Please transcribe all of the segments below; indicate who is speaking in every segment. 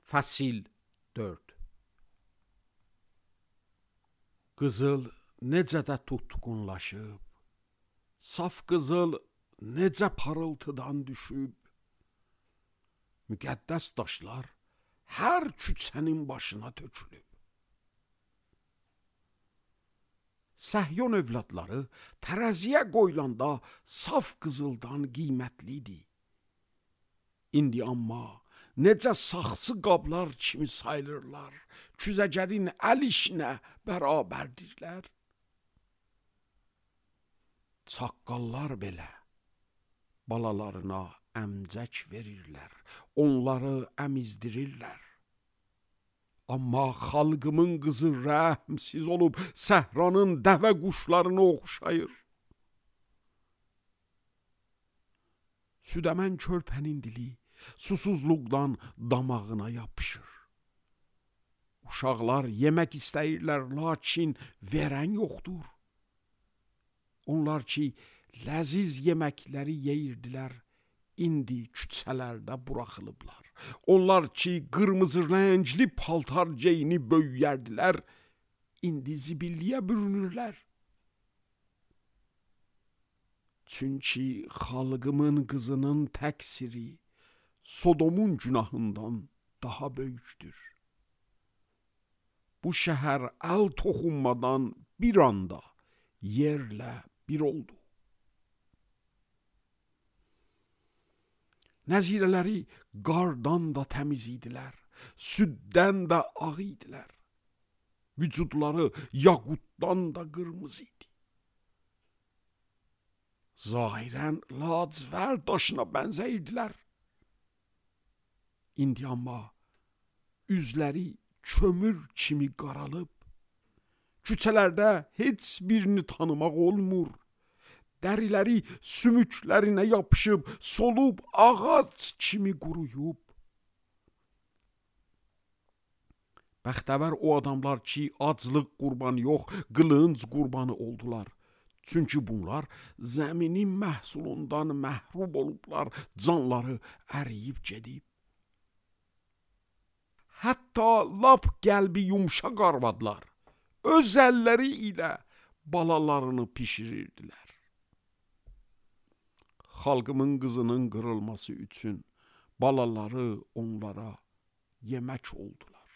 Speaker 1: Fəsil 4. Qızıl necə də tutqunlaşıb, saf qızıl necə parıltıdan düşüb, müqəddəs daşlar hər küçənin başına tökülüb. Səhyon övladları tərəziyə qoyulanda saf qızıldan qiymətlidir. İndi amma necə saxsı qablar kimi sayılırlar, küzəcərin əl işinə bərabərdirlər. Çaqqallar belə balalarına əmcək verirlər, onları əmizdirirlər. Amma xalqımın qızı rəhmsiz olub səhranın dəvə quşlarını oxşayır. Südəmən körpənin dili susuzluqdan damağına yapışır. Uşaqlar yemək istəyirlər, lakin verən yoxdur. Onlar ki, ləziz yeməkləri yeyirdilər, indi küçələrdə buraxılıblar. Onlar ki, qırmızı rəngli paltar geyini böyüyərdilər, indi zibilliyə bürünürlər. Çünki xalqımın qızının təqsiri Sodomun günahından daha böyükdür. Bu şəhər əl toxunmadan bir anda yerlə bir oldu. Nəzirələri qardan da təmiz idilər, süddən də ağ idilər. Vücudları yaqutdan da qırmızı idi. Zahirən lacivərd daşına bənzəyirdilər. İndi amma üzləri kömür kimi qaralıb, küçələrdə heç birini tanımaq olmur. Dəriləri sümüklərinə yapışıb, solub ağac kimi quruyub. Bəxtəvər o adamlar ki, aclıq qurbanı yox, qılınc qurbanı oldular. Çünki bunlar zəminin məhsulundan məhrum olublar, canları əriyib gedib. Hətta lap qəlbi yumşaq arvadlar öz əlləri ilə balalarını pişirirdilər. Xalqımın qızının qırılması üçün balaları onlara yemək oldular.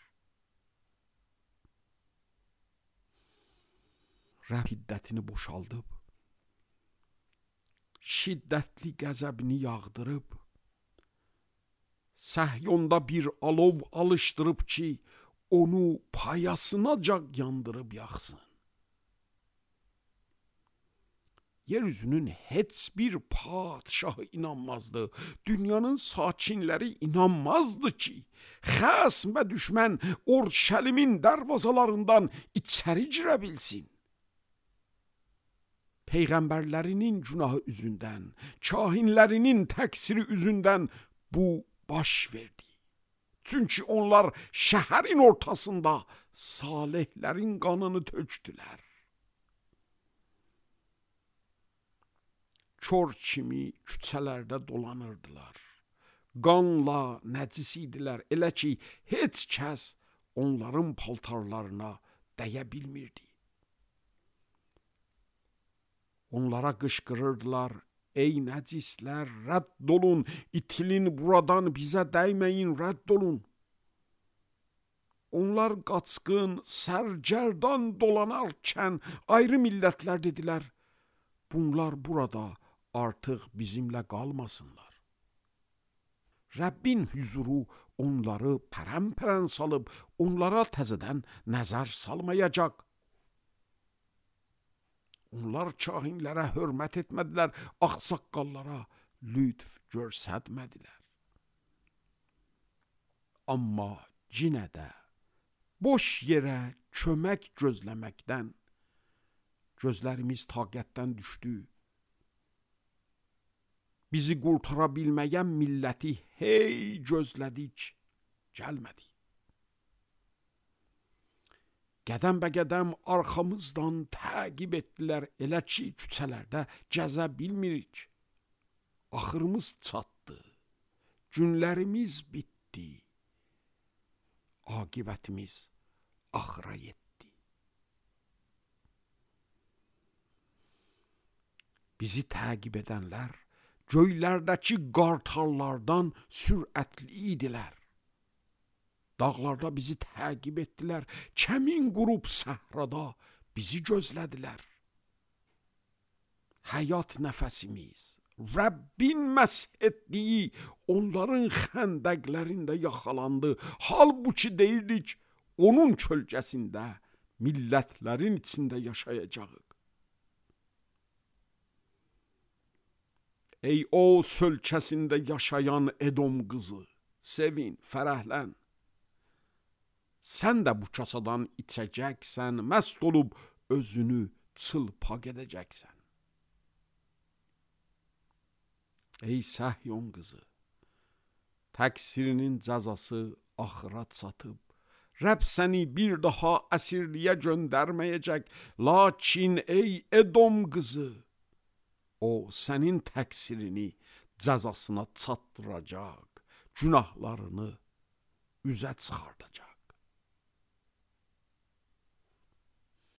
Speaker 1: Rəbb hiddətini boşaldıb, şiddətli qəzəbini yağdırıb, Səhyonda bir alov alışdırıb ki, onu payasınacan yandırıb yaxsın. Yeryüzünün heç bir padişahı inanmazdı, dünyanın sakinləri inanmazdı ki, xəsm və düşmən Orşəlimin dərvazalarından içəri girə bilsin. Peyğəmbərlərinin günahı üzündən, kahinlərinin təqsiri üzündən bu baş verdi. Çünki onlar şəhərin ortasında salihlərin qanını tökdülər. Kör kimi küçələrdə dolanırdılar. Qanla nəcis idilər, elə ki, heç kəs onların paltarlarına dəyə bilmirdi. Onlara qışqırırdılar, ey nəcislər, rədd olun, itilin buradan, bizə dəyməyin, rədd olun. Onlar qaçqın, sərgərdan dolanarkən ayrı millətlər dedilər, bunlar burada artıq bizimlə qalmasınlar. Rəbbin hüzuru onları pərən-pərən salıb, onlara təzədən nəzər salmayacaq. Onlar kahinlərə hörmət etmədilər, ağsaqqallara lütf görsətmədilər. Amma yenə də boş yerə kömək gözləməkdən gözlərimiz taqətdən düşdü. Bizi qurtara bilməyən milləti hey gözlədik, gəlmədi. Qədəm bə qədəm arxamızdan təqib etdilər, elə ki, küçələrdə gəzə bilmirik. Axırımız çatdı, günlərimiz bitdi. aqibətimiz axıra yetdi. Bizi təqib edənlər göylərdəki qartallardan sürətli idilər. Dağlarda bizi təqib etdilər, kəmin qurub səhrada bizi gözlədilər. Həyat nəfəsimiz, Rəbbin məsh etdiyi onların xəndəqlərində yaxalandı. Halbuki deyirdik, onun kölgəsində millətlərin içində yaşayacağıq. Ey o sölkəsində yaşayan Edom qızı, sevin, fərəhlən. Sən də bu kasadan içəcəksən, məst olub özünü çılpaq edəcəksən. Ey Səhyon qızı, təqsirinin cəzası axıra çatıb. Rəbb səni bir daha əsirliyə göndərməyəcək. Lakin ey Edom qızı, o sənin təqsirini cəzasına çatdıracaq, günahlarını üzə çıxardacaq.